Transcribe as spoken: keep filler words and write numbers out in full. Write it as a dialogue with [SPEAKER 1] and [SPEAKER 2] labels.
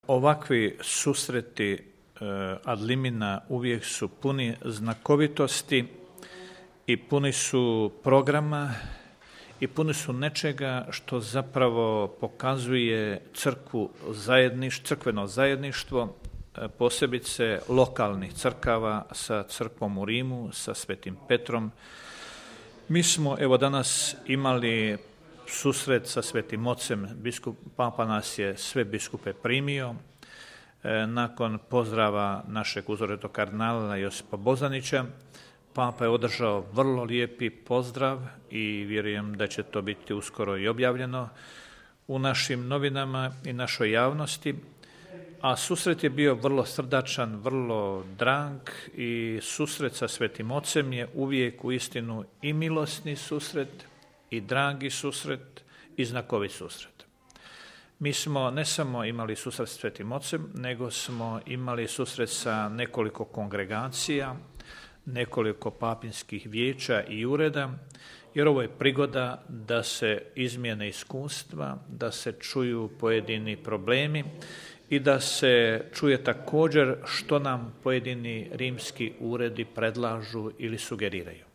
[SPEAKER 1] Ovakvi susreti ad limina uvijek su puni znakovitosti i puni su programa i puni su nečega što zapravo pokazuje crkvu zajedniš, crkveno zajedništvo, posebice lokalnih crkava sa crkvom u Rimu, sa Svetim Petrom. Mi smo evo danas imali susret sa Svetim Ocem, biskup, Papa nas je sve biskupe primio. Nakon pozdrava našeg uzoretog kardinala Josipa Bozanića, Papa je održao vrlo lijepi pozdrav i vjerujem da će to biti uskoro i objavljeno u našim novinama i našoj javnosti. A susret je bio vrlo srdačan, vrlo drag i susret sa Svetim Ocem je uvijek u istinu i milosni susret i dragi susret i znakovit susret. Mi smo ne samo imali susret s Svetim Ocem, nego smo imali susret sa nekoliko kongregacija, nekoliko papinskih vijeća i ureda, jer ovo je prigoda da se izmijene iskustva, da se čuju pojedini problemi i da se čuje također što nam pojedini rimski uredi predlažu ili sugeriraju.